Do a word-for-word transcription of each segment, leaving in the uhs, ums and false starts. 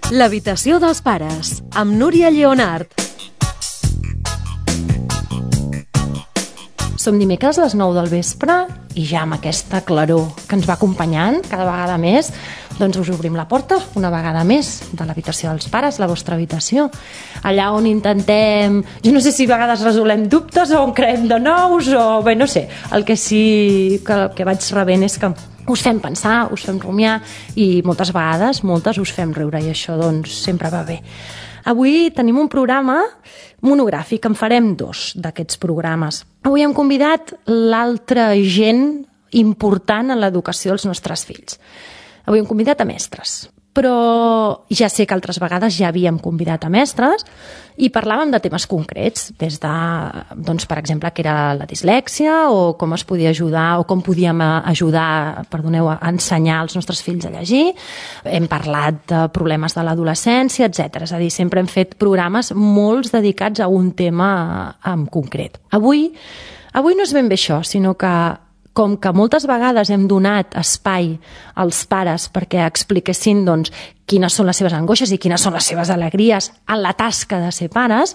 L'habitació dels pares, amb Núria Lleonart. Som dimecres a les nou del vespre i ja amb aquesta claror que ens va acompanyant cada vegada més, doncs us obrim la porta una vegada més de l'habitació dels pares, la vostra habitació. Allà on intentem, jo no sé si a vegades resolem dubtes o en creem de nous o bé, no sé. El que sí que, que vaig rebent és que us fem pensar, us fem rumiar i moltes vegades, moltes us fem riure i això doncs sempre va bé. Avui tenim un programa monogràfic, en farem dos d'aquests programes. Avui hem convidat l'altra gent important en l'educació dels nostres fills. Avui hem convidat a mestres, però ja sé que altres vegades ja havíem convidat a mestres i parlàvem de temes concrets, des de, doncs, per exemple, què era la dislèxia o com es podia ajudar o com podíem ajudar, perdoneu, a ensenyar als nostres fills a llegir. Hem parlat de problemes de l'adolescència, etcètera. És a dir, sempre hem fet programes molts dedicats a un tema en concret. Avui, avui no és ben bé això, sinó que com que moltes vegades hem donat espai als pares perquè expliquessin doncs, quines són les seves angoixes i quines són les seves alegries en la tasca de ser pares,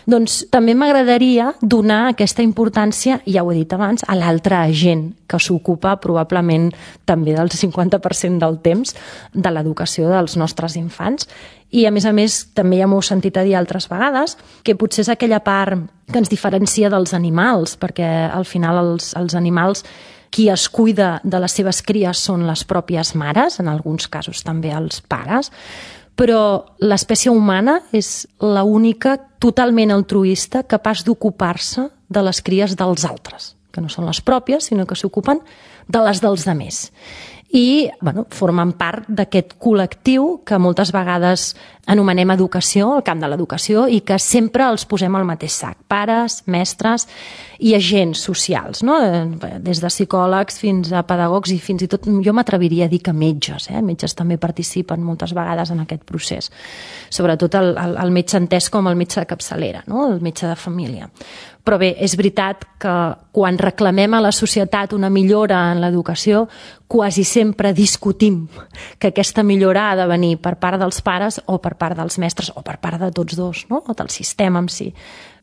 doncs també m'agradaria donar aquesta importància, ja ho he dit abans, a l'altra gent que s'ocupa probablement també del cinquanta per cent del temps de l'educació dels nostres infants. I a més a més també ja m'ho he sentit a dir altres vegades que potser és aquella part que ens diferencia dels animals, perquè al final els, els animals qui es cuida de les seves cries són les pròpies mares, en alguns casos també els pares, però l'espècie humana és l'única totalment altruista capaç d'ocupar-se de les cries dels altres, que no són les pròpies, sinó que s'ocupen de les dels altres. I bueno, formen part d'aquest col·lectiu que moltes vegades anomenem educació, el camp de l'educació, i que sempre els posem al mateix sac. Pares, mestres i agents socials, no? Des de psicòlegs fins a pedagogs i fins i tot, jo m'atreviria a dir que metges. Eh? Metges també participen moltes vegades en aquest procés. Sobretot el, el, el metge entès com el metge de capçalera, no? El metge de família. Però bé, és veritat que quan reclamem a la societat una millora en l'educació, quasi sempre discutim que aquesta millora ha de venir per part dels pares o per part dels mestres o per part de tots dos, no? O del sistema en si.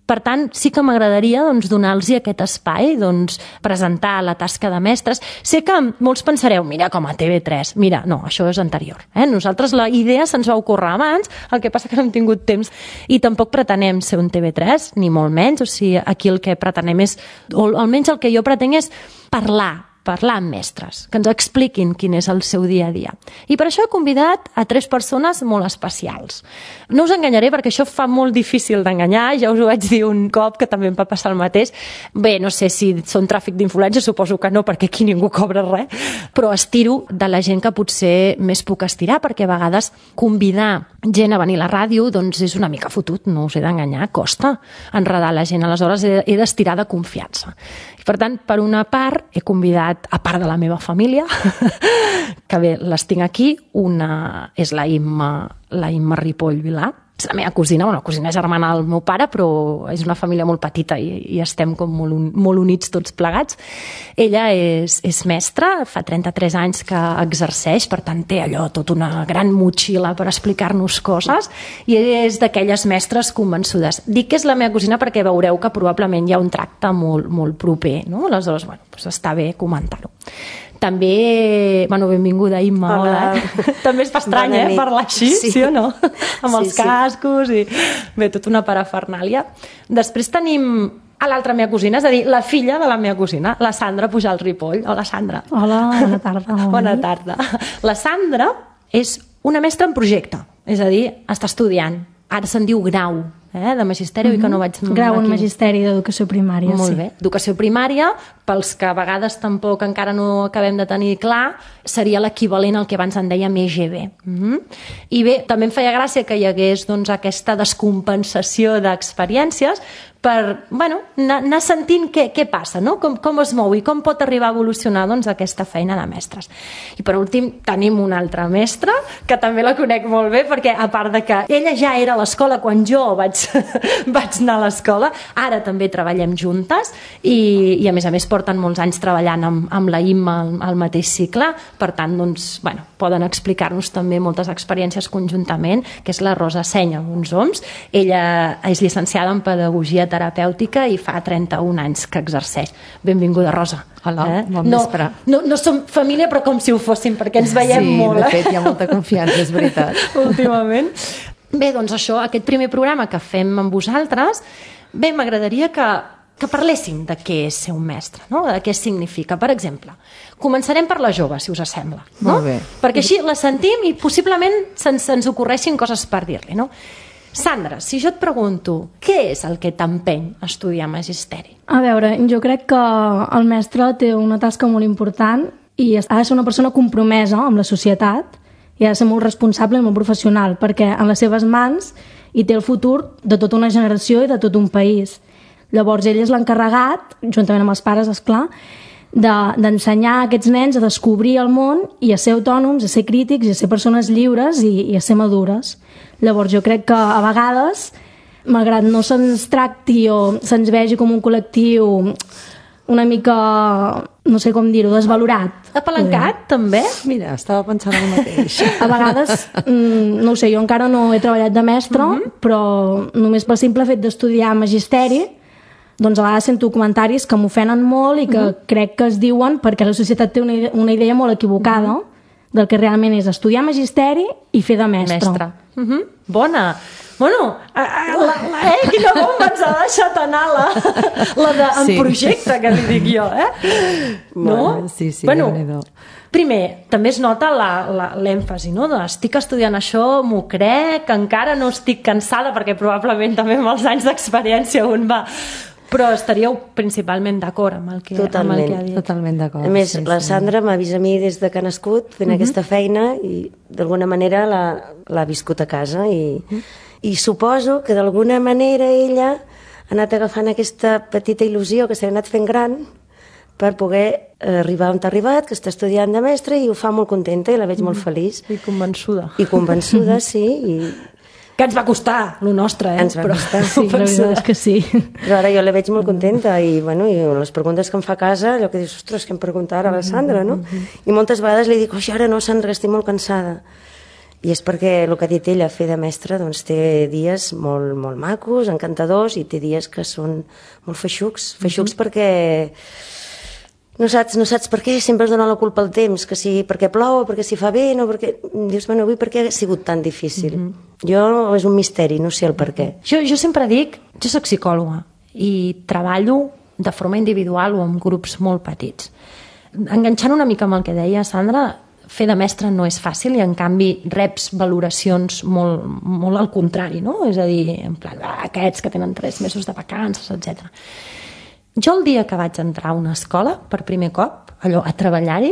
Per tant, sí que m'agradaria doncs, donar-los aquest espai, doncs, presentar la tasca de mestres. Sé que molts pensareu, mira, com a T V tres. Mira, no, això és anterior. Eh? Nosaltres la idea se'ns va ocórrer abans, el que passa que no hem tingut temps i tampoc pretenem ser un T V tres, ni molt menys. O sigui, aquí el que pretenem és, o almenys el que jo pretenc és parlar, parlar amb mestres, que ens expliquin quin és el seu dia a dia. I per això he convidat a tres persones molt especials. No us enganyaré perquè això fa molt difícil d'enganyar, ja us ho vaig dir un cop que també em va passar el mateix. Bé, no sé si són tràfic d'influència, suposo que no, perquè aquí ningú cobra res, però estiro de la gent que potser més puc estirar, perquè a vegades convidar gent a venir a la ràdio doncs és una mica fotut, no us he d'enganyar, costa enredar la gent, aleshores he d'estirar de confiança. I per tant, per una part, he convidat, a part de la meva família, que bé, les tinc aquí, una és la Imma, la Imma Ripoll Vilà, és la meva cosina, bueno, la cosina germana del meu pare, però és una família molt petita i, i estem com molt, un, molt units tots plegats. Ella és, és mestra, fa trenta-tres anys que exerceix, per tant té allò, tota una gran motxilla per explicar-nos coses i és d'aquelles mestres convençudes. Dic que és la meva cosina perquè veureu que probablement hi ha un tracte molt, molt proper, no? Aleshores, bueno, doncs està bé comentar-ho. També, bueno, benvinguda Imma, hola. hola. També es fa estrany, bona eh, parlar així, sí, sí o no? Amb els sí, cascos i bé, tota una parafernàlia. Després tenim a l'altra meva cosina, és a dir, la filla de la meva cosina, la Sandra Pujalt Ripoll. Hola, Sandra. Hola, bona tarda. Bona tarda. La Sandra és una mestra en projecte, és a dir, està estudiant. Ara se'n diu grau, eh, de magisteri, mm-hmm. que no vaig... Grau en magisteri d'educació primària, Molt sí. bé. Educació primària, pels que a vegades tampoc encara no acabem de tenir clar, seria l'equivalent al que abans en dèiem E G B. Mm-hmm. I bé, també em feia gràcia que hi hagués doncs, aquesta descompensació d'experiències, per bueno, anar, anar sentint què, què passa, no? com, com es mou i com pot arribar a evolucionar doncs, aquesta feina de mestres. I per últim tenim una altra mestra, que també la conec molt bé, perquè a part de que ella ja era a l'escola quan jo vaig, vaig anar a l'escola, ara també treballem juntes i, i a més a més porten molts anys treballant amb, amb la Imma al, al mateix cicle, per tant doncs, bueno, poden explicar-nos també moltes experiències conjuntament, que és la Rosa Seny, alguns oms. Ella és llicenciada en Pedagogia Terapèutica i fa trenta-un anys que exerceix. Benvinguda, Rosa. Hola, eh? bon no, vespre. No, no som família, però com si ho fóssim, perquè ens veiem sí, molt. Sí, de fet, hi ha molta confiança, és veritat. Últimament. Bé, doncs això, aquest primer programa que fem amb vosaltres, bé, m'agradaria que, que parléssim de què és ser un mestre, no? De què significa. Per exemple, començarem per la jove, si us sembla. No? Molt bé. Perquè així la sentim i possiblement se'ns, se'ns ocorreixin coses per dir-li, no? Sandra, si jo et pregunto, què és el que t'empeny a estudiar magisteri? A veure, jo crec que el mestre té una tasca molt important i ha de ser una persona compromesa amb la societat i ha de ser molt responsable i molt professional, perquè en les seves mans hi té el futur de tota una generació i de tot un país. Llavors ell és l'encarregat, juntament amb els pares, esclar, de, d'ensenyar a aquests nens a descobrir el món i a ser autònoms, a ser crítics i a ser persones lliures i, i a ser madures. Llavors jo crec que a vegades, malgrat no se'ns tracti o se'ns vegi com un col·lectiu una mica, no sé com dir-ho, desvalorat. Apalancat, també? Mira, estava pensant el mateix. A vegades, no ho sé, jo encara no he treballat de mestre, uh-huh. però només pel simple fet d'estudiar magisteri, doncs a vegades sento comentaris que m'ofenen molt i que uh-huh. crec que es diuen perquè la societat té una idea, una idea molt equivocada uh-huh. del que realment és estudiar magisteri i fer de mestre. Mestre. Uh-huh. Bona. Bueno, la, la, eh, quina bomba ens ha deixat anar la, la de, en sí. projecte, que li dic jo, eh? No? Bueno, sí, sí, bueno, déu-n'hi-do. Primer, també es nota la, la, l'èmfasi, no? De, estic estudiant això, m'ho crec, encara no estic cansada, perquè probablement també amb els anys d'experiència un va... Però estaríeu principalment d'acord amb el que, amb el que ha dit. Totalment d'acord. A més, sí, la sí. Sandra m'ha vist a mi des de que ha nascut fent uh-huh. aquesta feina i d'alguna manera l'ha, l'ha viscut a casa i, uh-huh. i suposo que d'alguna manera ella ha anat agafant aquesta petita il·lusió que s'ha anat fent gran per poder arribar on t'ha arribat, que està estudiant de mestre i ho fa molt contenta i la veig uh-huh. molt feliç. I convençuda. I convençuda, sí, i... Que ens va costar, lo nostre, eh? Ens va però, costar, sí, la veritat és que sí. Però ara jo la veig molt contenta i, bueno, i les preguntes que em fa a casa, allò que dius, ostres, què em pregunta ara la Sandra, no? I moltes vegades li dic, oi, ara no, Sandra, estic molt cansada. I és perquè el que ha dit ella, fer de mestra, doncs té dies molt, molt macos, encantadors, i té dies que són molt feixucs. Feixucs perquè... No saps, no saps per què, sempre es dona la culpa al temps, que si perquè plou, perquè si fa vent, o perquè... Dius, bueno, avui per què ha sigut tan difícil? Mm-hmm. Jo és un misteri, no sé el per què. Jo, jo sempre dic, jo soc psicòloga i treballo de forma individual o amb grups molt petits. Enganxant una mica amb el que deia Sandra, fer de mestre no és fàcil i en canvi reps valoracions molt, molt al contrari, no? És a dir, en plan, ah, aquests que tenen tres mesos de vacances, etcètera. Jo el dia que vaig entrar a una escola, per primer cop, allò, a treballar-hi,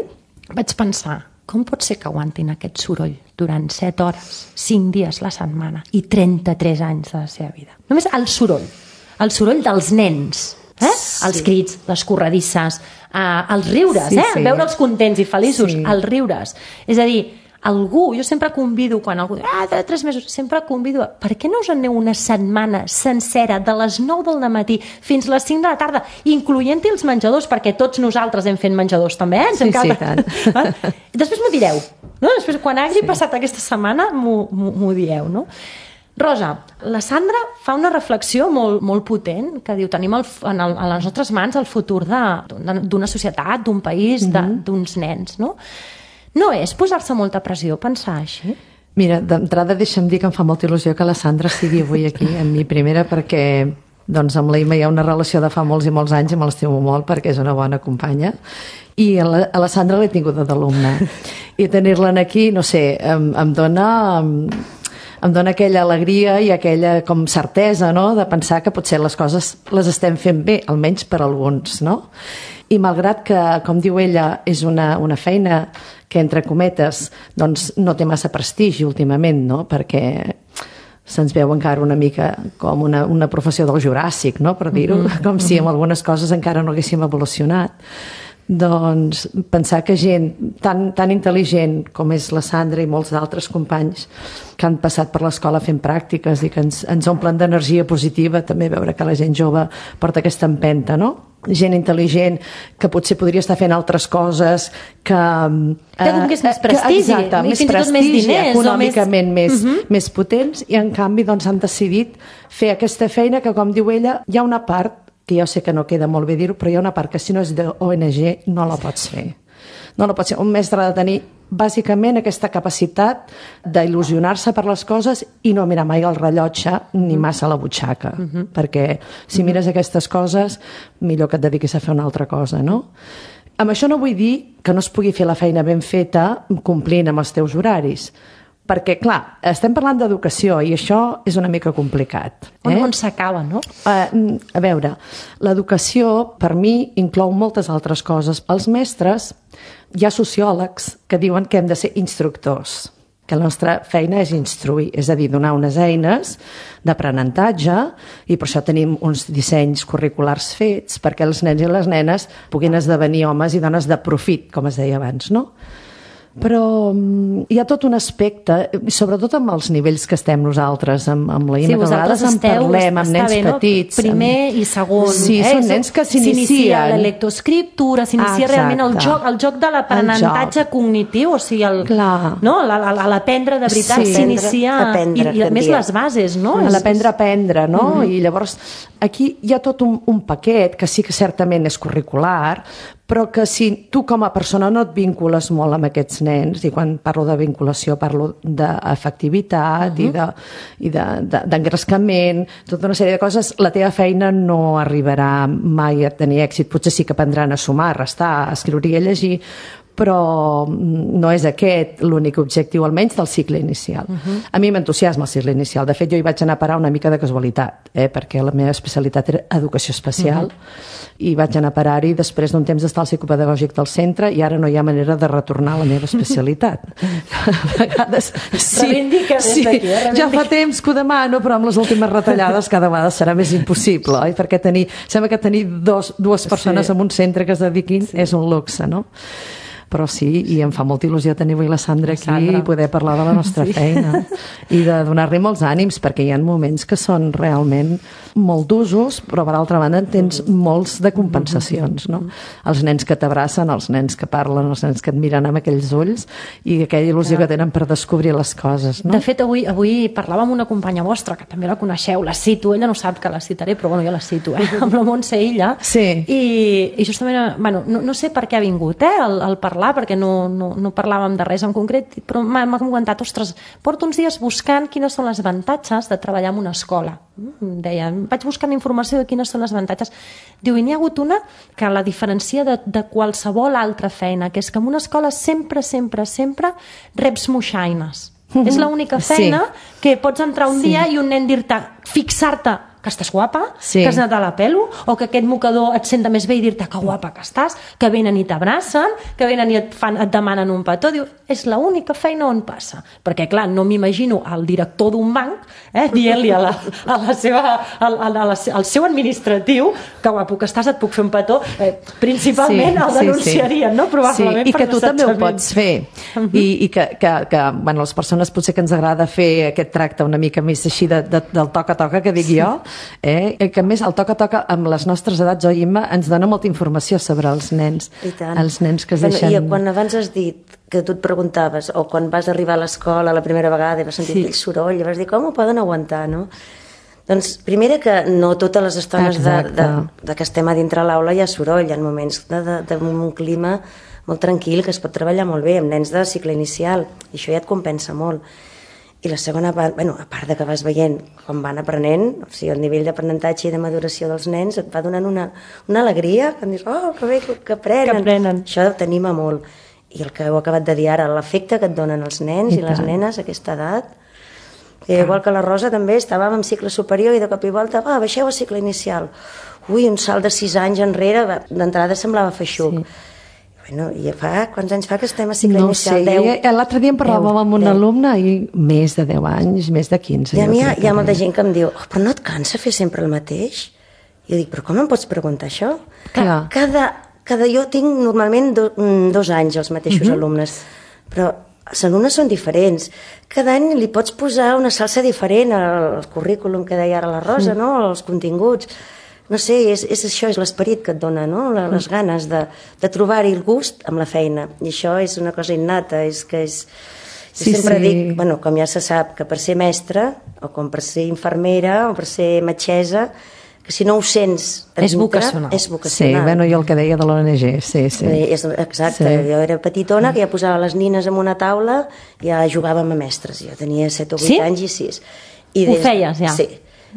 vaig pensar, com pot ser que aguantin aquest soroll durant set hores, cinc dies la setmana i trenta-tres anys de la seva vida? Només el soroll, el soroll dels nens, eh? Sí. Els crits, les corredisses, eh, els riures, sí, eh? sí. Veure'ls contents i feliços, sí. els riures. És a dir, algú, jo sempre convido, quan algú diu, ah, de tres mesos, sempre convido, a, per què no us en aneu una setmana sencera, de les nou del matí fins les cinc de la tarda, incloent-hi els menjadors, perquè tots nosaltres hem fet menjadors també, eh? Ens sí, encanta. sí, tant. Eh? Després m'ho direu, no? Després, quan hagi sí. passat aquesta setmana, m'ho, m'ho, m'ho dieu, no? Rosa, la Sandra fa una reflexió molt, molt potent que diu, tenim el, en el, a les nostres mans el futur de, d'una societat, d'un país, de, mm-hmm. d'uns nens, no? No és posar-se molta pressió pensar així? Mira, d'entrada deixa'm dir que em fa molta il·lusió que la Sandra sigui avui aquí, en mi primera, perquè doncs, amb la Imma hi ha una relació de fa molts i molts anys i me l'estimo molt perquè és una bona companya. I a la, a la Sandra l'he tinguda d'alumna. I tenir-la aquí, no sé, em, em dona... Em, em dona aquella alegria i aquella com certesa, no?, de pensar que potser les coses les estem fent bé, almenys per alguns, no? I malgrat que, com diu ella, és una, una feina que, entre cometes, doncs no té massa prestigi últimament, no?, perquè se'ns veu encara una mica com una, una professió del Juràssic, no? Per dir-ho, mm-hmm. com si amb algunes coses encara no haguéssim evolucionat. Doncs pensar que gent tan, tan intel·ligent com és la Sandra i molts d'altres companys que han passat per l'escola fent pràctiques i que ens, ens omplen d'energia positiva, també veure que la gent jove porta aquesta empenta, no? Gent intel·ligent que potser podria estar fent altres coses que... Té com que és més prestigi, que, exacte, més fins i tot prestigi, més diners, econòmicament més, més, uh-huh. més potents, i en canvi doncs, han decidit fer aquesta feina que, com diu ella, hi ha una part que jo sé que no queda molt bé dir-ho, però hi ha una part que si no és d'O N G no la pots fer. No la pots fer. Un mestre ha de tenir bàsicament aquesta capacitat d'il·lusionar-se per les coses i no mirar mai el rellotge ni massa la butxaca, uh-huh. perquè si mires aquestes coses millor que et dediquis a fer una altra cosa, no? Amb això no vull dir que no es pugui fer la feina ben feta complint amb els teus horaris, perquè, clar, estem parlant d'educació i això és una mica complicat. Eh? On, on s'acaba, no? Uh, a veure, l'educació, per mi, inclou moltes altres coses. Els mestres, hi ha sociòlegs que diuen que hem de ser instructors, que la nostra feina és instruir, és a dir, donar unes eines d'aprenentatge, i per això tenim uns dissenys curriculars fets perquè els nens i les nenes puguin esdevenir homes i dones de profit, com es deia abans, no? Però hi ha tot un aspecte, sobretot amb els nivells que estem nosaltres, amb, amb la Ima, sí, que a vegades en parlem, amb nens bé, no? petits. Primer amb... i segon. Sí, eh? Són nens que s'inicien. S'inicia la lectoescriptura, s'inicia Exacte. realment el joc, el joc de l'aprenentatge cognitiu, o sigui, el, no? l'aprendre de veritat sí. s'inicia, aprendre, i, i a més les bases, no? A l'aprendre a aprendre, no? Mm-hmm. I llavors aquí hi ha tot un, un paquet que sí que certament és curricular, però que si tu com a persona no et vincules molt amb aquests nens, i quan parlo de vinculació parlo d'efectivitat uh-huh. i de, i de, de, d'engrescament, tota una sèrie de coses, la teva feina no arribarà mai a tenir èxit. Potser sí que aprendran a sumar, a restar, a escriure i a llegir, però no és aquest l'únic objectiu, almenys del cicle inicial. Uh-huh. A mi m'entusiasma el cicle inicial. De fet, jo hi vaig anar a parar una mica de casualitat, eh? perquè la meva especialitat era educació especial, uh-huh. i vaig anar a parar-hi després d'un temps d'estar al psicopedagògic del centre, i ara no hi ha manera de retornar a la meva especialitat. A vegades... Sí, reivindica des sí, d'aquí, eh? ja fa temps que ho demano, però amb les últimes retallades cada vegada serà més impossible, oi? Perquè tenir, sembla que tenir dos, dues persones sí. en un centre que es dediquin sí. és un luxe, no? Però sí, i em fa molta il·lusió tenir avui la Sandra aquí Sandra. I poder parlar de la nostra sí. feina i de donar-li molts ànims, perquè hi ha moments que són realment molt d'usos, però per altra banda en tens molts de compensacions, no? Els nens que t'abracen, els nens que parlen, els nens que et miren amb aquells ulls i aquella il·lusió que tenen per descobrir les coses, no? De fet, avui, avui parlava amb una companya vostra, que també la coneixeu, la cito, ella no sap que la citaré, però bueno, jo la cito, eh? amb la Montse Illa, sí. i, i justament, bueno, no, no sé per què ha vingut, eh, el, el parlar, perquè no, no, no parlàvem de res en concret, però m'ha comentat, ostres, porto uns dies buscant quines són les avantatges de treballar en una escola. Deia, vaig buscant informació de quines són les avantatges. Diu, i n'hi ha hagut una que la diferencia de, de qualsevol altra feina, que és que en una escola sempre, sempre, sempre reps moixaines. Mm-hmm. És l'única feina sí. que pots entrar un sí. dia i un nen dir-te, fixar-te que estàs guapa, sí. que has anat a la pelo, o que aquest mocador et senta més bé i dir-te que guapa que estàs, que venen i t'abracen, que venen i et, fan, et demanen un petó. Diu, és l'única feina on passa. Perquè, clar, no m'imagino el director d'un banc eh, dient-li a la, a la seva, a, a la, al seu administratiu que guapo que estàs, et puc fer un petó. Eh, principalment sí, el denunciarien, sí, sí. no? Probablement sí, i que tu també ho pots fer. Uh-huh. I, i que, que, que bueno, les persones potser que ens agrada fer aquest tracte una mica més així de, de, del toca-toca, que dic sí. jo, Eh? que a més el toca-toca amb les nostres edats, oi, Imma, ens dona molta informació sobre els nens, els nens que es bueno, deixen... I quan abans has dit que tu et preguntaves, o quan vas arribar a l'escola la primera vegada i vas sentir sí. aquell soroll i vas dir, com ho poden aguantar, no? Doncs primera que no totes les estones de, de, de que estem a dintre l'aula hi ha soroll, hi ha moments d'un clima molt tranquil que es pot treballar molt bé amb nens de cicle inicial, i això ja et compensa molt. I la segona part, bueno, a part de que vas veient com van aprenent, o sigui, el nivell d'aprenentatge i de maduració dels nens et va donant una, una alegria, que em dius, oh, que bé que, que aprenen. Que aprenen. Això t'anima molt. I el que heu acabat de dir ara, l'efecte que et donen els nens i, i les nenes a aquesta edat, que ah. igual que la Rosa també, estàvem en cicle superior i de cop i volta, va, baixeu a cicle inicial. Ui, un salt de sis anys enrere, d'entrada semblava feixuc. Sí. Bueno, i fa, quants anys fa que estem a cicle No inicial? sé, deu? l'altre dia em parlàvem amb un alumne i més de deu anys, més de quinze. I a jo mi hi ha, crec hi ha que molta bé. gent que em diu, oh, però no et cansa fer sempre el mateix? I jo dic, però com em pots preguntar això? Clar. Cada, cada jo tinc normalment do, mm, dos anys els mateixos uh-huh. alumnes, però els alumnes són diferents. Cada any li pots posar una salsa diferent al currículum que deia ara la Rosa, no? Els continguts. No sé, és, és això, és l'esperit que et dona, no? Les ganes de, de trobar-hi el gust amb la feina. I això és una cosa innata, és que és... Jo Sí, sempre sí. dic, bueno, com ja se sap, que per ser mestra, o com per ser infermera, o per ser metgessa, que si no ho sents a És dintre, vocacional. és Sí, vocacional. bueno, i el que deia de l'O N G, sí, sí. Eh, És, exacte, Sí. jo era petitona, que ja posava les nines en una taula i ja jugàvem a mestres. Jo tenia set o vuit Sí? anys i sis. I Ho feies, ja? Sí.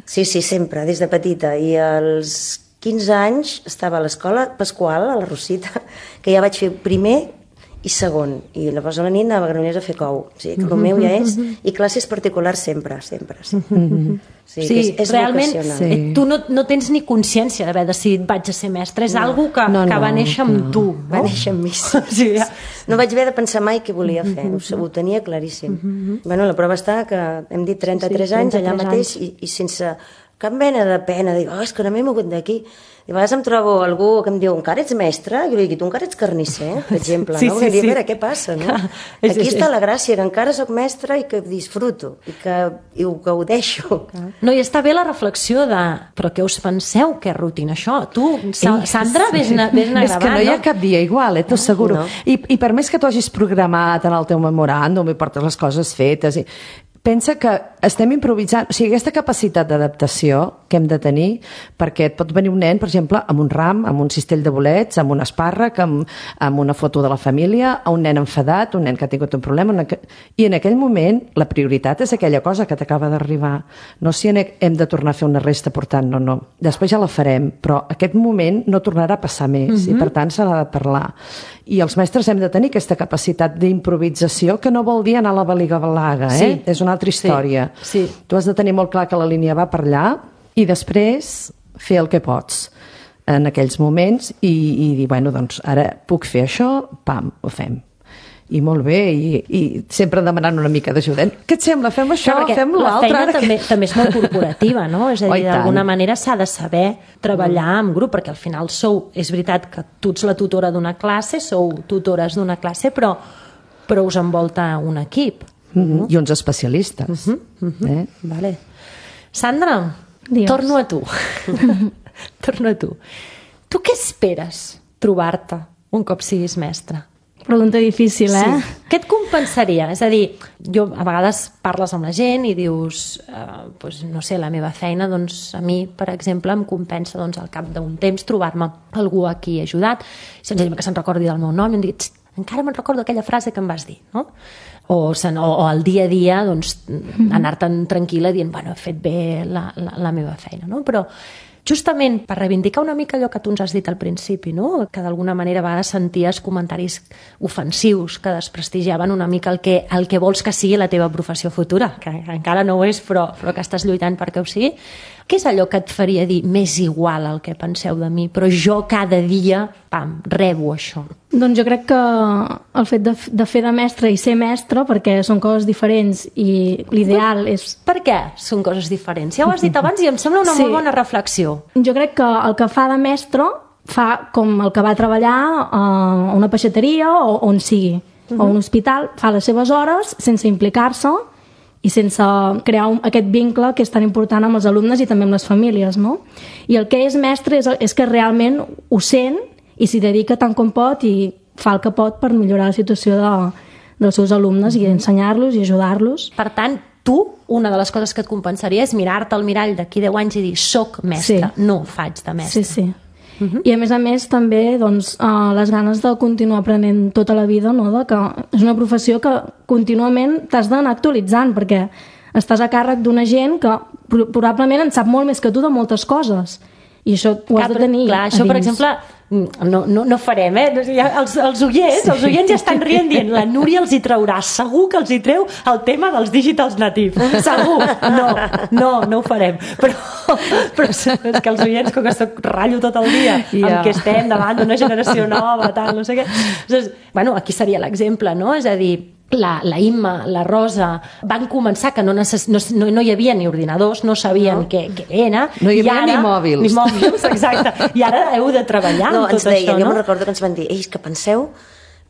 sí, sí, sempre, des de petita. I als quinze anys estava a l'escola Pasqual, a la Rosita, que ja vaig fer primer i segon. I llavors a la nit anava a Granollers a fer cou. O sigui, que el meu ja és... I classes particulars sempre, sempre. Sí, sí, Sí, que és, és realment vocacional. Sí. eh, tu no, no tens ni consciència d'haver decidit vaig a ser mestra, és no. algo que, No, que va no, néixer amb no. tu, Va no? néixer amb mi. Sí, ja. No vaig haver de pensar mai què volia fer, ho, ho tenia claríssim. Bueno, la prova està que hem dit trenta-tres Sí, sí, anys allà trenta-tres mateix i, i sense cap mena de pena, dic, oh, és que no m'he mogut d'aquí. I a vegades em trobo algú que em diu, encara ets mestre? I jo li dic, tu encara ets carnisser, per exemple, Sí, no? sí, Perquè dic, sí. a veure, què passa, no? És- Aquí és- està és- la gràcia, que encara sóc mestre i que disfruto, i que i ho gaudeixo. No, i està bé la reflexió de però què us penseu que és rutina això? Tu, Sa Ei, Sandra, vés-ne vés a És que gravar, no hi ha cap dia igual, eh, t'ho asseguro. no. I, I per més que tu hagis programat en el teu memoràndum i portes les coses fetes, i... pensa que estem improvisant, o sigui, aquesta capacitat d'adaptació que hem de tenir, perquè et pot venir un nen, per exemple, amb un ram, amb un cistell de bolets, amb un espàrrec, amb, amb una foto de la família, a un nen enfadat, un nen que ha tingut un problema, una... i en aquell moment la prioritat és aquella cosa que t'acaba d'arribar, no si hem de tornar a fer una resta portant, no, no. Després ja la farem, però aquest moment no tornarà a passar més, mm-hmm. i per tant se n'ha de parlar. I els mestres hem de tenir aquesta capacitat d'improvisació, que no vol dir anar a la baliga-balaga, eh? Sí. És una altra història. Sí, sí. Tu has de tenir molt clar que la línia va per allà i després fer el que pots en aquells moments i, i dir, bueno, doncs ara puc fer això, pam, ho fem. I molt bé, i, i sempre demanant una mica d'ajuda. Què et sembla? Fem això, Clar, perquè fem la l'altre. feina ara també, que... també és molt corporativa, no? És a Oh, i dir, tant. d'alguna manera s'ha de saber treballar en grup, perquè al final sou, és veritat que tu ets la tutora d'una classe, sou tutores d'una classe, però, però us envolta un equip. Mm-hmm. I uns especialistes. Uh-huh, uh-huh. Eh? Vale. Sandra, Digues. torno a tu. torno a tu. Tu què esperes trobar-te un cop siguis mestra? Pregunta difícil, eh? Sí. Què et compensaria? És a dir, jo a vegades parles amb la gent i dius, eh, doncs, no sé, la meva feina, doncs a mi, per exemple, em compensa doncs, al cap d'un temps trobar-me algú a qui he ajudat, senzillament que se'n recordi del meu nom i em digui, encara me'n recordo aquella frase que em vas dir, no? O, sen, o, o al dia a dia doncs, anar-te'n tranquil·la dient, bueno, he fet bé la, la, la meva feina, no? Però justament per reivindicar una mica allò que tu ens has dit al principi, no? Que d'alguna manera a vegades senties comentaris ofensius que desprestigiaven una mica el que, el que vols que sigui la teva professió futura, que encara no ho és, però, però que estàs lluitant perquè ho sigui. Què és allò que et faria dir més igual el que penseu de mi, però jo cada dia, pam, rebo això? Doncs jo crec que el fet de, de fer de mestre i ser mestre, perquè són coses diferents i l'ideal és... Per què són coses diferents? Ja ho has dit abans i em sembla una Sí. molt bona reflexió. Jo crec que el que fa de mestre fa com el que va treballar a una peixateria o on sigui, uh-huh. o un hospital, fa les seves hores sense implicar-se i sense crear un, aquest vincle que és tan important amb els alumnes i també amb les famílies, no? I el que és mestre és, és que realment ho sent i s'hi dedica tant com pot i fa el que pot per millorar la situació de, dels seus alumnes i ensenyar-los i ajudar-los. Per tant, tu, una de les coses que et compensaria és mirar-te al mirall d'aquí deu anys i dir, soc mestre, Sí. no faig de mestre. Sí, sí. Uh-huh. I a més a més també doncs, uh, les ganes de continuar aprenent tota la vida, no? De que és una professió que contínuament t'has d'anar actualitzant perquè estàs a càrrec d'una gent que pro- probablement en sap molt més que tu de moltes coses I això ho has de tenir clar, això, per exemple, no, no, no farem, eh? Els, els oients, els oients ja estan rient dient, la Núria els hi traurà, segur que els hi treu el tema dels digitals natius, segur. No, no, no ho farem. Però, però és que els oients, com que soc ratllo tot el dia, yeah. amb què estem davant d'una generació nova, tal, no sé què. Doncs, bueno, aquí seria l'exemple, no? És a dir, La, la Imma, la Rosa, van començar que no, necess... no, no, no hi havia ni ordinadors, no sabien no. què, què era. No hi havia ara, ni mòbils. Ni mòbils, exacte. I ara heu de treballar no, amb tot deia, això, no? Jo no? me'n recordo que ens van dir, ei, que penseu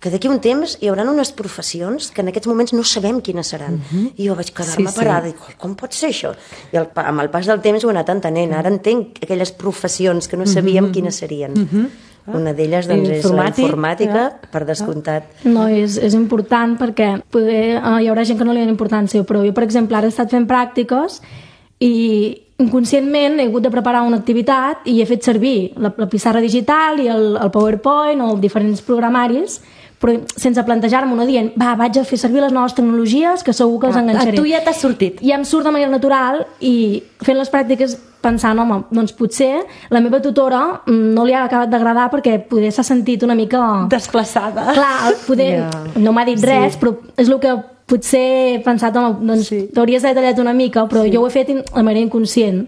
que d'aquí un temps hi haurà unes professions que en aquests moments no sabem quines seran. Uh-huh. I jo vaig quedar-me sí, parada sí. i dic, com pot ser això? I el, amb el pas del temps ho he anat entenent. Ara entenc aquelles professions que no sabíem uh-huh. quines serien. Uh-huh. Una d'elles doncs, és la informàtica, ja. per descomptat. No, és, és important perquè poder, uh, hi haurà gent que no li dona importància, però jo, per exemple, ara he estat fent pràctiques i inconscientment he hagut de preparar una activitat i he fet servir la, la pissarra digital i el, el PowerPoint o diferents programaris, però sense plantejar-me una dient, va, vaig a fer servir les noves tecnologies que segur que els enganxaré. A tu ja t'ha sortit. I em surt de manera natural i fent les pràctiques pensant, home, doncs potser la meva tutora no li ha acabat d'agradar perquè poder s'ha sentit una mica... desplaçada. Clar, poder... Yeah. No m'ha dit sí. res, però és el que potser he pensat, home, doncs sí. t'hauries d'haver tallat una mica, però sí. jo ho he fet de manera inconscient.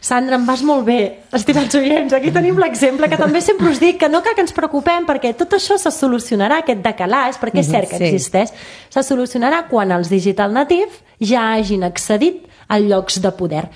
Sandra, em vas molt bé, estimats oients. Aquí tenim l'exemple que també sempre us dic que no cal que ens preocupem perquè tot això se solucionarà, aquest decalaix, perquè és cert que sí. existeix, se solucionarà quan els digital natives ja hagin accedit a llocs de poder.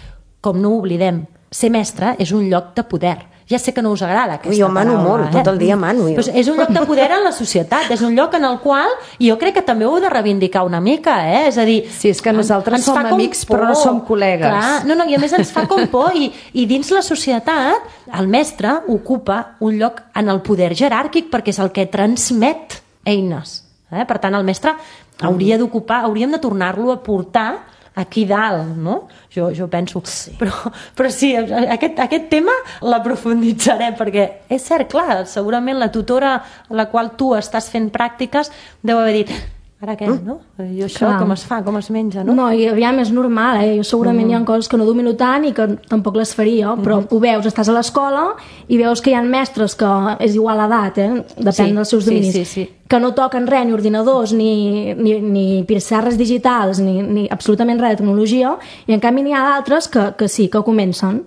Com no ho oblidem, ser mestre és un lloc de poder. Ja sé que no us agrada aquesta jo mano paraula, molt, eh? tot el dia mano. Jo. Pues és un lloc de poder en la societat, és un lloc en el qual jo crec que també ho heu de reivindicar una mica, eh? És a dir... Sí, és que nosaltres som amics però no som col·legues. Clar, no, no, i a més ens fa com por i, i dins la societat el mestre ocupa un lloc en el poder jeràrquic perquè és el que transmet eines. Eh? Per tant, el mestre hauria d'ocupar, hauríem de tornar-lo a portar aquí dalt, no? Jo, jo penso. Sí. Però, però sí, aquest, aquest tema l'aprofunditzarem, perquè és cert, clar, segurament la tutora a la qual tu estàs fent pràctiques deu haver dit, ara què, no? I això clar. Com es fa, com es menja, no? No, i aviam, és normal, eh? Jo segurament mm. hi ha coses que no domino tant i que tampoc les faria, però mm. ho veus, estàs a l'escola i veus que hi ha mestres que és igual a edat, eh? Depèn sí, dels seus dominis. Sí, sí, sí. Que no toquen res, ni ordinadors, ni, ni, ni pissarres digitals, ni, ni absolutament res de tecnologia, i en canvi n'hi ha d'altres que, que sí, que comencen.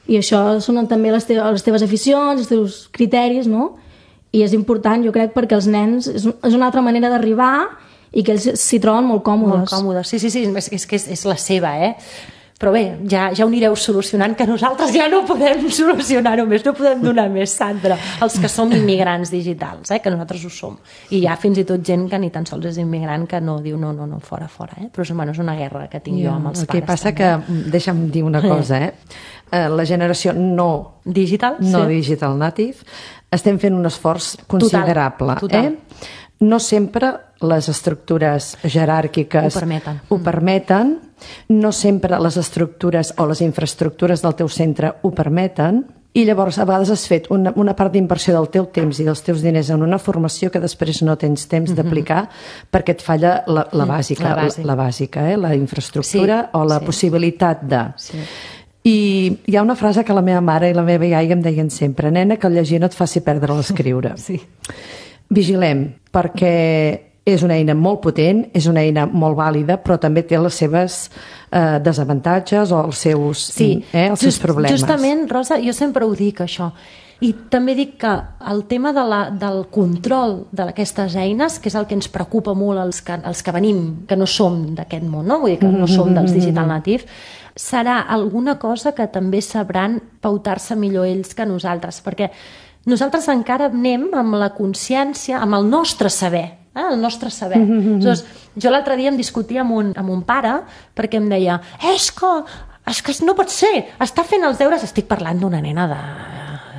I això són també les teves, les teves aficions, els teus criteris, no? I és important, jo crec, perquè els nens és, és una altra manera d'arribar i que ells s'hi troben molt còmodes. Molt còmodes, sí, sí, sí, és, és que és, és la seva, eh? Però bé, ja, ja ho anireu solucionant, que nosaltres ja no podem solucionar-ho més, no podem donar més, Sandra, els que som immigrants digitals, eh, que nosaltres ho som. I hi ha fins i tot gent que ni tan sols és immigrant que no diu no, no, no, fora, fora. Eh? Però bueno, és una guerra que tinc jo, jo amb els el pares. El que passa també. que, deixa'm dir una cosa, eh? La generació no digital, no sí. digital native, estem fent un esforç considerable. Total, total. Eh? No sempre les estructures jeràrquiques ho permeten. ho permeten, no sempre les estructures o les infraestructures del teu centre ho permeten, i llavors a vegades has fet una, una part d'inversió del teu temps i dels teus diners en una formació que després no tens temps d'aplicar mm-hmm. perquè et falla la, la bàsica, la, bàsica. la, la bàsica, eh? La infraestructura sí, o la sí. possibilitat de... Sí. I hi ha una frase que la meva mare i la meva iaia em deien sempre, nena, que el llegir no et faci perdre l'escriure. Sí. Vigilem, perquè és una eina molt potent, és una eina molt vàlida, però també té les seves eh, desavantatges o els seus, sí. eh, els seus Just, problemes. Justament, Rosa, jo sempre ho dic, això. I també dic que el tema de la, del control d'aquestes eines, que és el que ens preocupa molt els que, els que venim, que no som d'aquest món, no? Vull dir que no som dels digital natives, serà alguna cosa que també sabran pautar-se millor ells que nosaltres, perquè nosaltres encara anem amb la consciència, amb el nostre saber, eh? el nostre saber. Mm-hmm. Llavors, jo l'altre dia em discutia amb un, amb un pare perquè em deia, és que, és que no pot ser, està fent els deures, estic parlant d'una nena de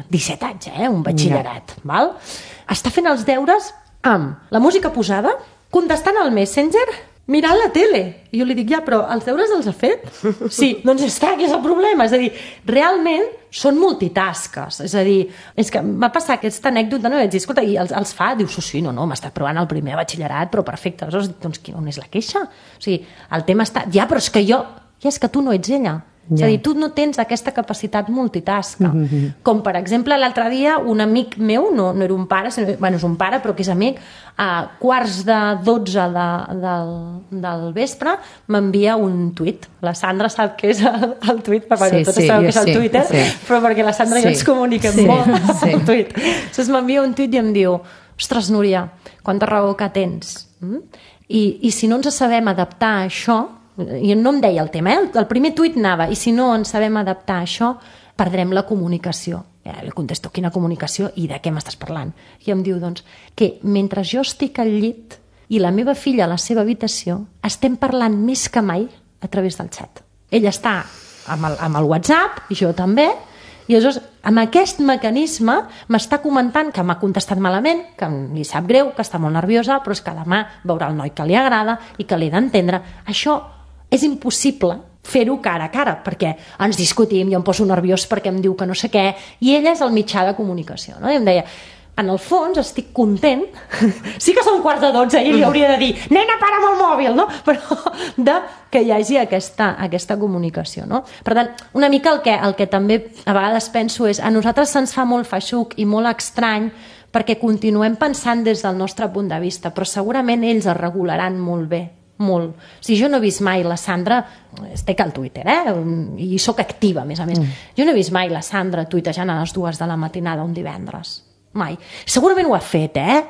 disset anys, eh? un batxillerat, yeah. val? Està fent els deures amb la música posada, contestant al Messenger, mirant la tele. I jo li dic, ja, però els deures els ha fet? Sí, doncs està, que és el problema. És a dir, realment són multitasques. És a dir, és que m'ha passat aquesta anècdota, no? I vaig dir, escolta, i els, els fa? Diu, sí, sí, no, no, m'ha estat provant el primer batxillerat, però perfecte. Aleshores, doncs, on és la queixa? O sigui, el tema està... Ja, però és que jo... Ja, és que tu no ets ella. Ja. És a dir, tu no tens aquesta capacitat multitasca. Mm-hmm. Com, per exemple, l'altre dia un amic meu, no, no era un pare, sinó, bueno, és un pare, però que és amic, a quarts de dotze de, del, del vespre m'envia un tuit. La Sandra sap què és el, el tuit, perquè sí, tots sí, sabeu què és el sí, Twitter, sí. Però perquè la Sandra sí. i jo ens comuniquem sí, molt sí. el tuit. Llavors m'envia un tuit i em diu: ostres, Núria, quanta raó que tens. Mm? I, I si no ens sabem adaptar a això, i no em deia el tema, eh? El primer tuit anava, i si no ens sabem adaptar a això, perdrem la comunicació. Eh, li contesto, quina comunicació i de què m'estàs parlant? I em diu, doncs, que mentre jo estic al llit i la meva filla a la seva habitació, estem parlant més que mai a través del xat. Ella està amb el, amb el WhatsApp, i jo també, i llavors amb aquest mecanisme m'està comentant que m'ha contestat malament, que li sap greu, que està molt nerviosa, però és que demà veurà el noi que li agrada i que l'he d'entendre. Això és impossible fer-ho cara a cara, perquè ens discutim, jo em poso nerviós perquè em diu que no sé què, i ella és el mitjà de comunicació, no? I em deia, en el fons estic content, sí que són quarts de dotze i li hauria de dir, nena, para amb el mòbil, no? Però de que hi hagi aquesta, aquesta comunicació, no? Per tant, una mica el que, el que també a vegades penso és, a nosaltres se'ns fa molt feixuc i molt estrany perquè continuem pensant des del nostre punt de vista, però segurament ells es regularan molt bé, molt. O sigui, jo no he vist mai la Sandra, estic al Twitter, eh? I soc activa, a més a més. Mm. Jo no he vist mai la Sandra tuitejant a les dues de la matinada un divendres. Mai. Segurament ho ha fet, eh?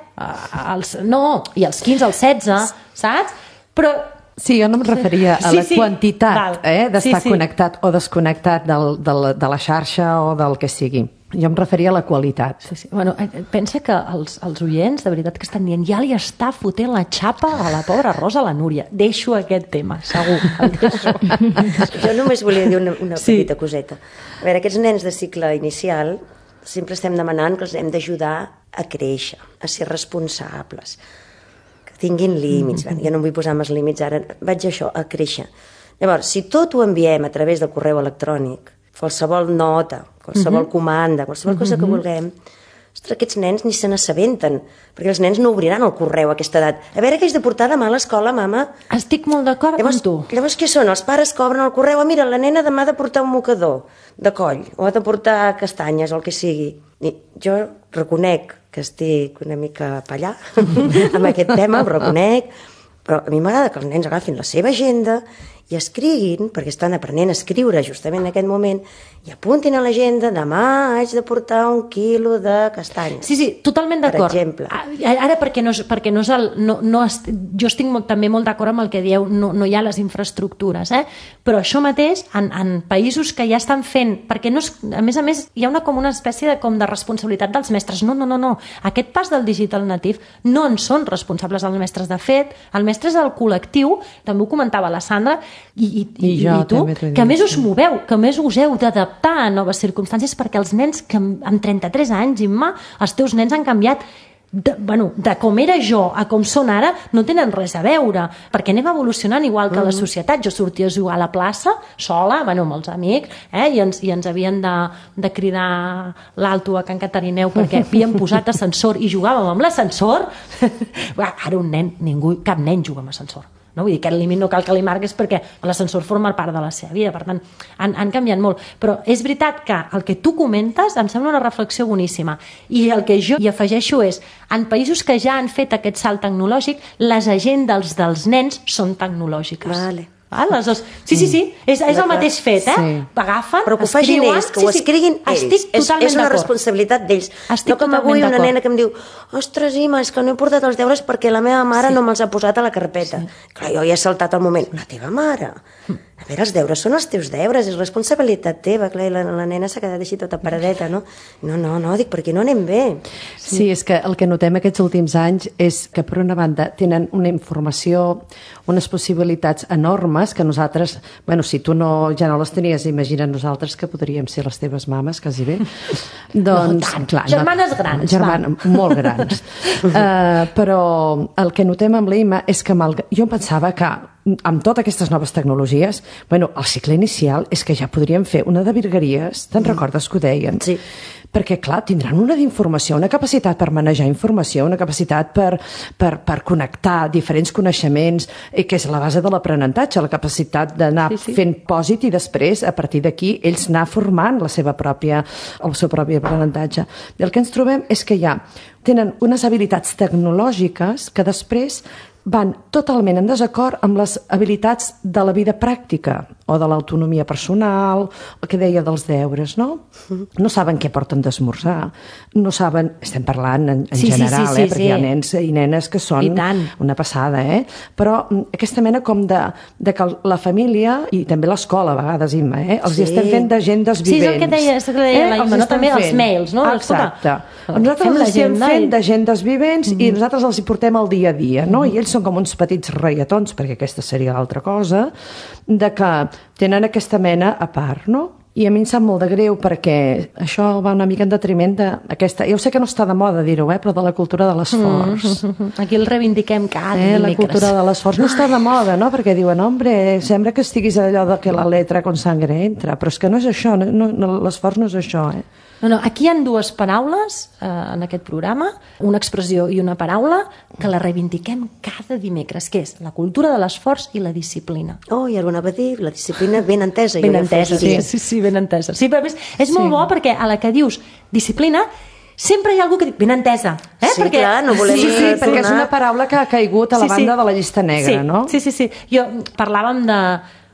Els, no, i els quinze, els setze, saps? Però... Sí, jo no em referia a la sí, sí. quantitat eh, d'estar sí, sí. connectat o desconnectat del, del, de la xarxa o del que sigui. Jo em referia a la qualitat. Sí, sí. Bueno, pensa que els, els oients, de veritat que estan dient, ja li està fotent la xapa a la pobra Rosa, a la Núria. Deixo aquest tema, segur. Jo només volia dir una, una sí. petita coseta. A veure, aquests nens de cicle inicial sempre estem demanant que els hem d'ajudar a créixer, a ser responsables, que tinguin límits. Mm-hmm. Jo no em vull posar més límits ara, vaig a això, a créixer. Llavors, si tot ho enviem a través del correu electrònic, qualsevol nota, qualsevol mm-hmm. comanda, qualsevol cosa mm-hmm. que vulguem, ostres, aquests nens ni se n'assabenten, perquè els nens no obriran el correu a aquesta edat. A veure què haig de portar demà a l'escola, mama? Estic molt d'acord amb tu. Llavors què són? Els pares cobren el correu, ah, mira, la nena demà ha de portar un mocador de coll, o ha de portar castanyes, o el que sigui. I jo reconec que estic una mica pallà amb aquest tema, ho reconec, però a mi m'agrada que els nens agafin la seva agenda i escriguin, perquè estan aprenent a escriure justament en aquest moment, i apuntin a l'agenda, demà haig de portar un quilo de castanyes. Sí, sí, totalment d'acord. Per exemple. Ara, perquè no és, perquè no és el... No, no est, jo estic molt, també molt d'acord amb el que dieu, no, no hi ha les infraestructures, eh? Però això mateix, en, en països que ja estan fent, perquè no és, a més a més, hi ha una, com una espècie de, com de responsabilitat dels mestres. No, no, no, no. Aquest pas del digital native no en són responsables els mestres. De fet, el mestre és el col·lectiu, també ho comentava la Sandra, I, i, I, jo, i tu, que a més us moveu, que a més us heu d'adaptar a noves circumstàncies, perquè els nens que amb trenta-tres anys, Imma, els teus nens han canviat de, bueno, de com era jo a com són ara, no tenen res a veure, perquè anem evolucionant igual que la societat. Jo sortia a jugar a la plaça sola, bueno, amb els amics, eh, i, ens, i ens havien de, de cridar l'alto a Can Catarineu perquè havíem posat ascensor i jugàvem amb l'ascensor. Ara un nen, ningú, cap nen juga amb ascensor. No? Vull dir, aquest límit no cal que li marques perquè l'ascensor forma part de la seva vida, per tant han, han canviat molt, però és veritat que el que tu comentes em sembla una reflexió boníssima, i el que jo hi afegeixo és, en països que ja han fet aquest salt tecnològic, les agendes dels nens són tecnològiques. Vale. Ah, les dos. Sí, sí, sí, és, és el mateix fet, eh? Sí. Agafen, però que ho facin escriuen, ells, que ho escriguin sí, sí. ells. És, és una responsabilitat d'ells. Estic no com avui una nena que em diu, ostres, Ima, és que no he portat els deures perquè la meva mare sí. no me'ls ha posat a la carpeta. Sí. Clar, jo ja he saltat el moment. La teva mare? A veure, els deures són els teus deures, és responsabilitat teva. Clar, la, la nena s'ha quedat així tota paradeta, no? No, no, no, dic, per aquí no anem bé. Sí. sí, és que el que notem aquests últims anys és que, per una banda, tenen una informació, unes possibilitats enormes que nosaltres, bueno, si tu no, ja no les tenies, imagina't nosaltres que podríem ser les teves mames, quasi bé. doncs, no tant, clar, germanes no, grans. Germanes, molt grans. uh, però el que notem amb l'Ima és que mal, jo pensava que amb totes aquestes noves tecnologies, bueno, el cicle inicial és que ja podríem fer una de virgueries, te'n recordes que ho deien? Sí. Perquè, clar, tindran una d'informació, una capacitat per manejar informació, una capacitat per, per, per connectar diferents coneixements, eh, que és la base de l'aprenentatge, la capacitat d'anar sí, sí. fent pòsit i després, a partir d'aquí, ells anar formant la seva pròpia, el seu propi aprenentatge. I el que ens trobem és que ja tenen unes habilitats tecnològiques que després van totalment en desacord amb les habilitats de la vida pràctica o de l'autonomia personal, el que deia dels deures, no? No saben què porten d'esmorzar, no saben, estem parlant en, en sí, general, sí, sí, eh? sí, perquè sí. hi ha nens i nenes que són una passada, eh? Però aquesta mena com de, de que la família i també l'escola, a vegades, Imma, eh? els Sí. hi estem fent d'agendes vivents. Sí, és el que deia, és el que deia eh? la Imma, no? També els mails, no? Exacte. Escolta, nosaltres els estem l'agenda fent i- d'agendes vivents mm-hmm. i nosaltres els hi portem al dia a dia, no? I ells són com uns petits reietons, perquè aquesta seria l'altra cosa, de que tenen aquesta mena a part, no? I a mi em sap molt de greu perquè això va una mica en detriment d'aquesta... Jo sé que no està de moda dir-ho, eh? Però de la cultura de l'esforç. Mm. Aquí el reivindiquem cada Eh, la dimecres. cultura de l'esforç no està de moda, no? Perquè diuen, hombre, sembla que estiguis allò de que la letra con sangre entra, però és que no és això, no, no, l'esforç no és això, eh? No, no, aquí hi ha dues paraules eh, en aquest programa, una expressió i una paraula que la reivindiquem cada dimecres, que és la cultura de l'esforç i la disciplina. Oh, i alguna va dir, la disciplina ben entesa. Ben jo entesa, sí, afegiria. sí, sí, ben entesa. Sí, però a més, és molt bo perquè a la que dius disciplina sempre hi ha algú que diu ben entesa. Eh? Sí, clar, no volem- Sí, sí, Sí, perquè és donar- una paraula que ha caigut a la Sí, sí. banda de la llista negra, sí, no? Sí, sí, sí. Jo parlàvem de...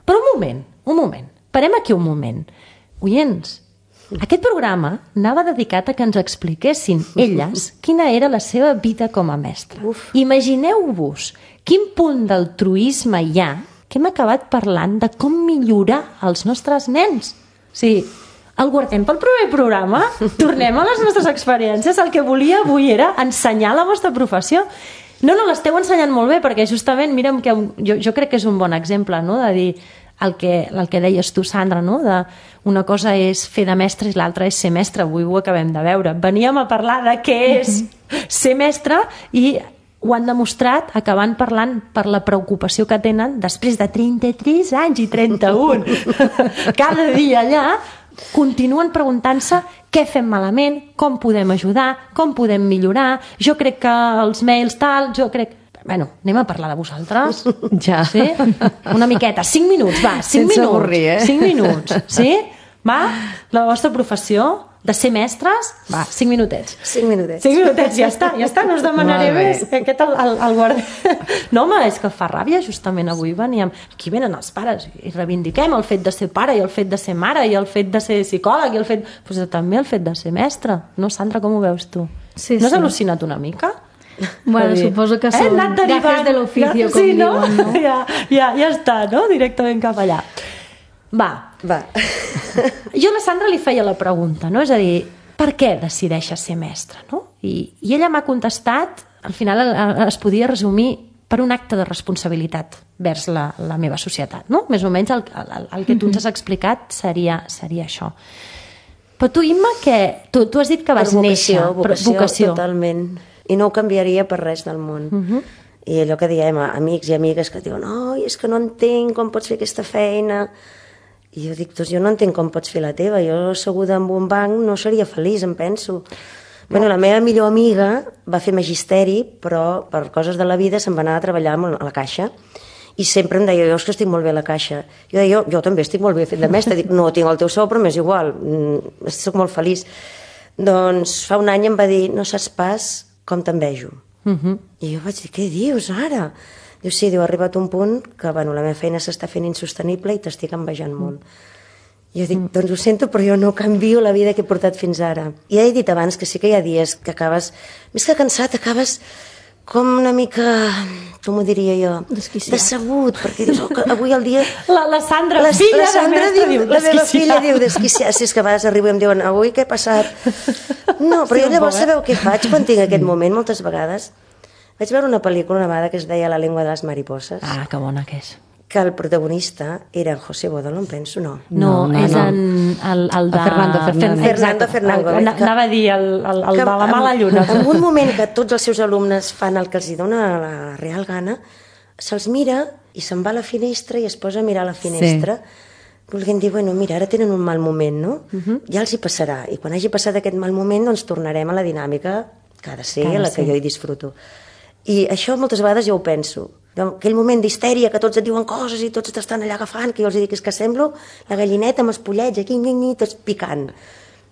Però un moment, un moment. Parem aquí un moment. Oients, aquest programa anava dedicat a que ens expliquessin elles quina era la seva vida com a mestra. Uf. Imagineu-vos quin punt d'altruisme hi ha que hem acabat parlant de com millorar els nostres nens. O sigui, el guardem pel proper programa? Tornem a les nostres experiències? El que volia avui era ensenyar la vostra professió. No, no, l'esteu ensenyant molt bé, perquè justament, mira'm, que un, jo, jo crec que és un bon exemple, no?, de dir el que, el que deies tu, Sandra, no?, de una cosa és fer de mestre i l'altra és ser mestre. Avui ho acabem de veure. Veníem a parlar de què és ser mestre i ho han demostrat acabant parlant per la preocupació que tenen després de trenta-tres anys i trenta-un. Cada dia allà continuen preguntant-se què fem malament, com podem ajudar, com podem millorar, jo crec que els mails tal, jo crec... Bueno, anem a parlar de vosaltres. Ja. Sí? Una miqueta, cinc minuts, va, cinc Sense minuts. avorrir, eh? Cinc minuts, sí? Va? La vostra professió de ser mestres? Va, cinc minutets. Cinc minutets. Cinc minutets, ja està, ja està, no us demanaré Molt bé. més. Que aquest el, el, el guarda... No, home, és que fa ràbia, justament avui veníem... Aquí venen els pares i reivindiquem el fet de ser pare i el fet de ser mare i el fet de ser psicòleg i el fet... Pues també el fet de ser mestre. No, Sandra, com ho veus tu? Sí, no has sí. al·lucinat una mica? Bueno, Vull dir, suposo que eh, són anat derivant, gajes de l'oficio, anat- com sí, no? diuen, no? Ja, ja, ja està, no? Directament cap allà. Va, Va. jo a la Sandra li feia la pregunta, no? És a dir, per què decideixes ser mestra, no? I, i ella m'ha contestat, al final eh, es podia resumir per un acte de responsabilitat vers la, la meva societat, no? Més o menys el, el, el que tu ens has explicat seria, seria això. Però tu, Imma, que tu, tu has dit que vas Per vocació, néixer... per vocació, vocació. totalment. I no ho canviaria per res del món. Uh -huh. I allò que diem, amics i amigues que diuen, oi, és que no entenc com pots fer aquesta feina. I jo dic, doncs jo no entenc com pots fer la teva. Jo, asseguda en un banc, no seria feliç, em penso. Bueno, la meva millor amiga va fer magisteri, però per coses de la vida se'n va anar a treballar a la caixa. I sempre em deia, jo és que estic molt bé a la caixa. Jo deia, jo, jo també estic molt bé fent de mestre. Dic, no tinc el teu sou, però m'és igual, mm, soc molt feliç. Doncs fa un any em va dir, no saps pas com t'envejo. Uh -huh. I jo vaig dir, què dius ara? Diu, sí, diu, ha arribat un punt que, bueno, la meva feina s'està fent insostenible i t'estic envejant molt. I jo dic, doncs ho sento, però jo no canvio la vida que he portat fins ara. I ja he dit abans que sí que hi ha dies que acabes, més que cansat, acabes com una mica, com ho diria jo, Desquiciat. decebut, perquè dius, oh, que avui el dia... La, la Sandra, La, filla la Sandra de mestre, diu, diu, la meva desquiciat. filla diu desquiciat. Si és que a vegades arribo i em diuen, avui què ha passat? No, però Sí, jo un llavors poc, eh? sabeu què faig quan tinc aquest moment, moltes vegades? Vaig veure una pel·lícula una vegada que es deia La lengua de les mariposas, Ah, que bona que és. que el protagonista era en José Bodolo, em penso, no. No, No, no, és no. en el, el de... A Fernando Fernández. Fernando Fernández. El, anava a dir el, el, el de la mala lluna. En, en un moment que tots els seus alumnes fan el que els hi dona la real gana, se'ls mira i se'n va a la finestra i es posa a mirar la finestra, sí. volguent dir, bueno, mira, ara tenen un mal moment, no? Uh-huh. Ja els hi passarà, i quan hagi passat aquest mal moment, doncs tornarem a la dinàmica que ha de ser, a la que jo hi disfruto. I això moltes vegades ja ho penso. Aquell moment d'histèria, que tots et diuen coses i tots t'estan allà agafant, que jo els dic, és que semblo la gallineta amb els pollets, aquí, tots picant.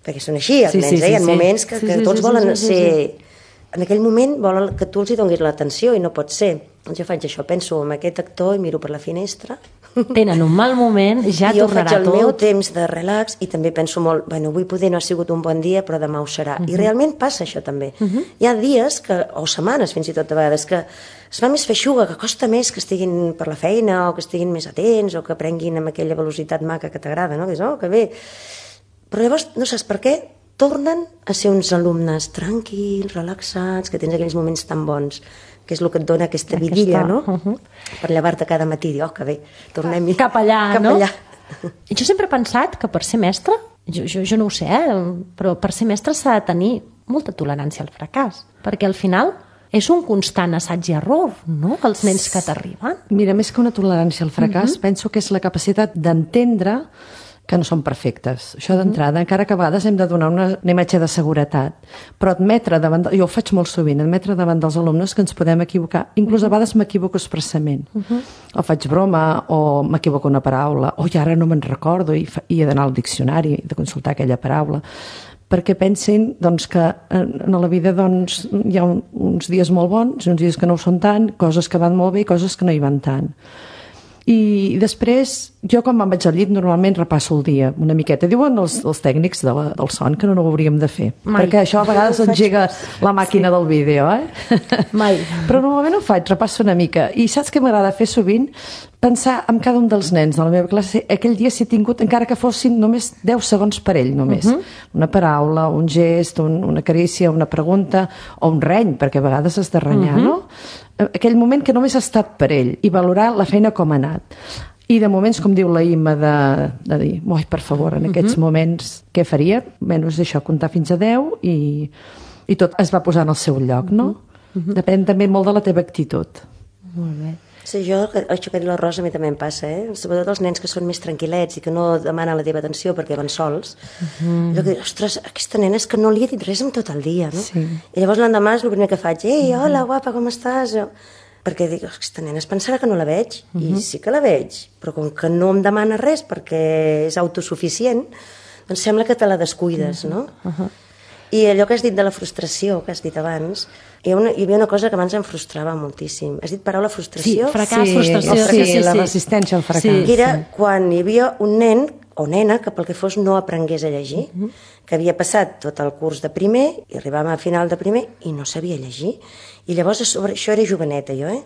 Perquè són així, els sí, nens, sí, eh? Hi ha sí, moments que, sí, que tots sí, volen sí, sí, ser... Sí. En aquell moment volen que tu els hi donis l'atenció i no pot ser. Doncs jo faig això, penso en aquest actor i miro per la finestra. Tenen un mal moment, ja tornarà tot. Jo faig el tot. meu temps de relax i també penso molt, bueno, avui poder no ha sigut un bon dia, però demà ho serà. Uh-huh. I realment passa això també. Uh-huh. Hi ha dies, que, o setmanes fins i tot a vegades, que es fa més feixuga, que costa més que estiguin per la feina o que estiguin més atents o que prenguin amb aquella velocitat maca que t'agrada, no? Que és, oh, que bé. Però llavors no saps per què tornen a ser uns alumnes tranquils, relaxats, que tens aquells moments tan bons, que és el que et dona aquesta vidilla, no? Uh-huh. Per llevar-te cada matí i dir, oh, que bé, tornem-hi. Cap allà, cap no? Allà. Jo sempre he pensat que per ser mestre, jo, jo, jo no ho sé, eh? Però per ser mestre s'ha de tenir molta tolerància al fracàs, perquè al final és un constant assaig i error, no?, els nens que t'arriben. Mira, més que una tolerància al fracàs, uh-huh. penso que és la capacitat d'entendre que no són perfectes. Això d'entrada, uh-huh. encara que a vegades hem de donar una, una imatge de seguretat, però admetre davant, jo ho faig molt sovint, admetre davant dels alumnes que ens podem equivocar. Inclús a vegades m'equivoco expressament. Uh-huh. O faig broma, o m'equivoco una paraula, o ja ara no me'n recordo i, fa, i he d'anar al diccionari de consultar aquella paraula, perquè pensin doncs, que en la vida doncs, hi ha un, uns dies molt bons, uns dies que no ho són tant, coses que van molt bé i coses que no hi van tant. I després, jo quan me'n vaig al llit normalment repasso el dia una miqueta. Diuen els, els tècnics de la, del son que no, no ho hauríem de fer. Mai. Perquè això a vegades engega la màquina sí. del vídeo, eh? Mai. Però normalment ho faig, repasso una mica. I saps què m'agrada fer sovint? Pensar en cada un dels nens de la meva classe, aquell dia si he tingut, encara que fossin només deu segons per ell, només. Uh-huh. Una paraula, un gest, un, una carícia, una pregunta, o un reny, perquè a vegades has de renyar, uh-huh. no? Aquell moment que només ha estat per ell i valorar la feina com ha anat. I de moments, com diu la Imma, de, de dir, oi, per favor, en aquests uh-huh. moments, què faria? Menys això, comptar fins a deu i, i tot es va posar en el seu lloc, no? Uh-huh. Depèn també molt de la teva actitud. Molt bé. Sí, jo, això que ha dit la Rosa a mi també em passa, eh? Sobretot els nens que són més tranquil·lets i que no demanen la teva atenció perquè van sols. Uh-huh. Jo que dic, ostres, aquesta nena és que no li he dit res en tot el dia, no? Sí. I llavors l'endemà és el primer que faig, ei, hola, guapa, com estàs? Perquè dic, aquesta nena es pensarà que no la veig, uh-huh. i sí que la veig, però com que no em demana res perquè és autosuficient, doncs sembla que te la descuides, no? Uh-huh. I allò que has dit de la frustració, que has dit abans, hi, ha una, hi havia una cosa que abans em frustrava moltíssim. Has dit paraula frustració? Sí, fracàs, sí, frustració. Sí, sí, sí, la resistència al fracàs. Sí. Era quan hi havia un nen o nena que pel que fos no aprengués a llegir, uh-huh. que havia passat tot el curs de primer i arribàvem a final de primer i no sabia llegir. I llavors, a sobre, això era joveneta jo, eh?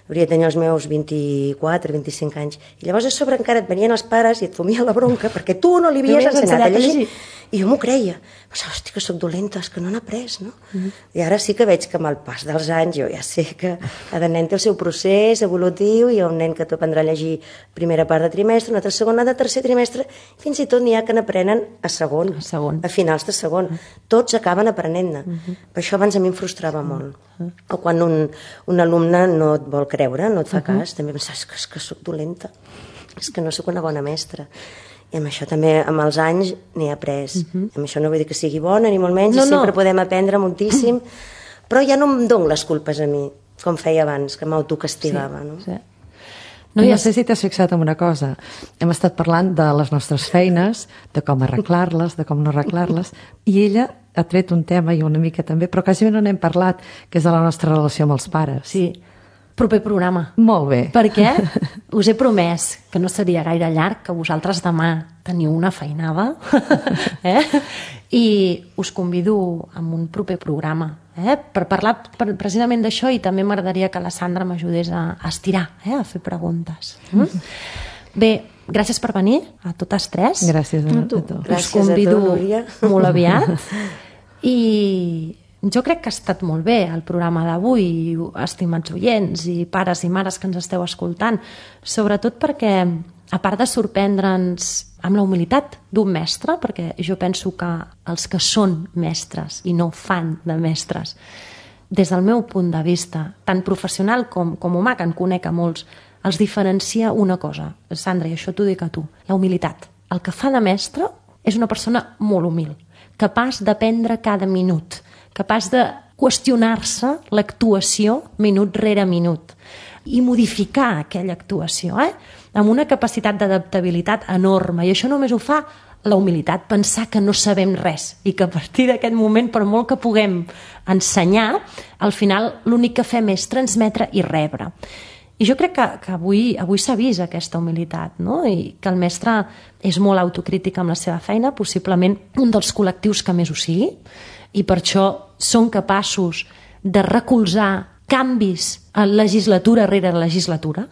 Hauria de tenir els meus vint-i-quatre, vint-i-cinc anys. I llavors a sobre encara et venien els pares i et fomien la bronca perquè tu no li havies ensenyat a llegir. I jo m'ho creia. Pensava, hosti, que soc dolenta, és que no n'ha après, no? Mm-hmm. I ara sí que veig que amb el pas dels anys jo ja sé que cada nen té el seu procés evolutiu, hi ha un nen que t'aprendrà a llegir primera part de trimestre, una altra segona de tercer trimestre, fins i tot n'hi ha que n'aprenen a segon, a segon, a finals de segon. Mm-hmm. Tots acaben aprenent-ne. Mm-hmm. Per això abans a mi em frustrava molt. Mm-hmm. O quan un, un alumne no et vol creure, no et fa mm-hmm. cas, també pensava, és que, és que soc dolenta, és que no sóc una bona mestra. I amb això també, amb els anys, n'he après. Uh-huh. Amb això no vull dir que sigui bona, ni molt menys, no, i sempre no. podem aprendre moltíssim, però ja no em dono les culpes a mi, com feia abans, que m'autocastigava. Sí, no? Sí. No, no sé si t'has fixat en una cosa. Hem estat parlant de les nostres feines, de com arreglar-les, de com no arreglar-les, i ella ha tret un tema, i una mica també, però quasi no n'hem parlat, que és de la nostra relació amb els pares. Sí. Proper programa. Molt bé. Perquè us he promès que no seria gaire llarg, que vosaltres demà teniu una feinada, eh? I us convido a un proper programa, eh? Per parlar per, precisament d'això, i també m'agradaria que la Sandra m'ajudés a, a estirar, eh? A fer preguntes. Mm? Bé, gràcies per venir a totes tres. Gràcies a, a tu. Us gràcies convido a tu, Núria. Molt aviat. I jo crec que ha estat molt bé el programa d'avui, estimats oients i pares i mares que ens esteu escoltant, sobretot perquè, a part de sorprendre'ns amb la humilitat d'un mestre, perquè jo penso que els que són mestres i no fan de mestres des del meu punt de vista, tant professional com, com humà, que en conec a molts, els diferencia una cosa. Sandra, i això t'ho dic a tu, la humilitat. El que fa de mestre és una persona molt humil, capaç d'aprendre cada minut, capaç de qüestionar-se l'actuació minut rere minut i modificar aquella actuació, eh? Amb una capacitat d'adaptabilitat enorme. I això només ho fa la humilitat, pensar que no sabem res i que a partir d'aquest moment, per molt que puguem ensenyar, al final l'únic que fem és transmetre i rebre. I jo crec que, que avui, avui s'ha vist aquesta humilitat, no? I que el mestre és molt autocrític amb la seva feina, possiblement un dels col·lectius que més ho sigui, i per això són capaços de recolzar canvis a legislatura rere legislatura.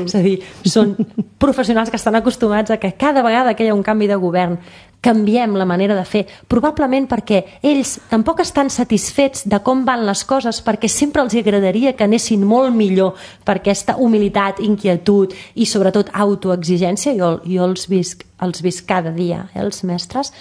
És a dir, són professionals que estan acostumats a que cada vegada que hi ha un canvi de govern canviem la manera de fer, probablement perquè ells tampoc estan satisfets de com van les coses, perquè sempre els agradaria que anessin molt millor per aquesta humilitat, inquietud i sobretot autoexigència. Jo, jo els visc, els visc cada dia, eh, els mestres.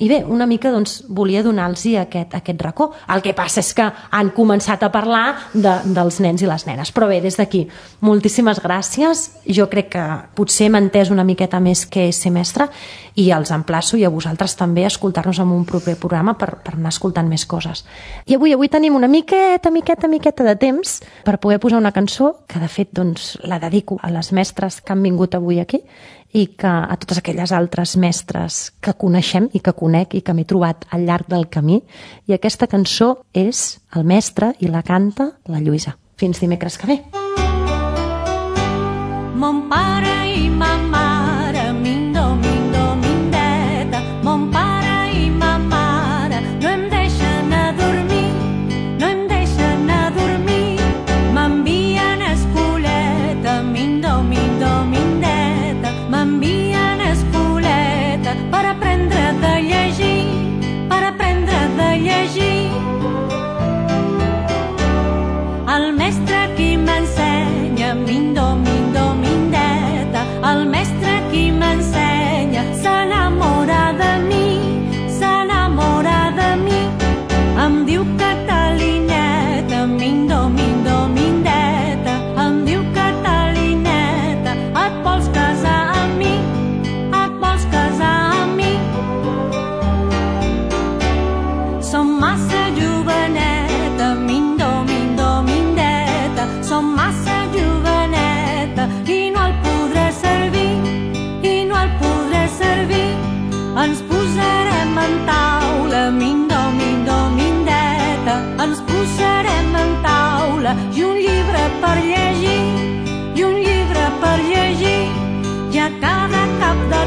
I bé, una mica doncs, volia donar-los aquest, aquest racó. El que passa és que han començat a parlar de, dels nens i les nenes. Però bé, des d'aquí, moltíssimes gràcies. Jo crec que potser m'he entès una miqueta més què és ser mestre i els emplaço i a vosaltres també a escoltar-nos en un proper programa per, per anar escoltant més coses. I avui avui tenim una miqueta, miqueta, miqueta de temps per poder posar una cançó que de fet doncs, la dedico a les mestres que han vingut avui aquí i que a totes aquelles altres mestres que coneixem i que conec i que m'he trobat al llarg del camí. I aquesta cançó és El mestre i la canta la Lluïsa. Fins dimecres que ve. Mon pare i ma mare, mindo, mindo, mindeta. Mon pare i ma mare no em deixen a dormir, no em deixen a dormir. M'envien a escoleta, mindo, mindo, mindeta. M'envien a escoleta per aprendre de llegir, per aprendre de llegir. El mestre qui m'ensenya, mindo, mindo, mindeta. El mestre qui m'ensenya s'enamora de mi, s'enamora de mi. Em diu Catalineta, mindo, mindo, mindeta. Em diu Catalineta, et vols casar amb mi, et vols casar amb mi. Som massa joveneta, mindo, mindo, mindeta. Som massa joveneta i no el podré servir, i no el podré servir. Ens posarem en taula, mindo, mindo, mindeta. Ens posarem en taula i un llibre per llegir, i un llibre per llegir. I a cada cap de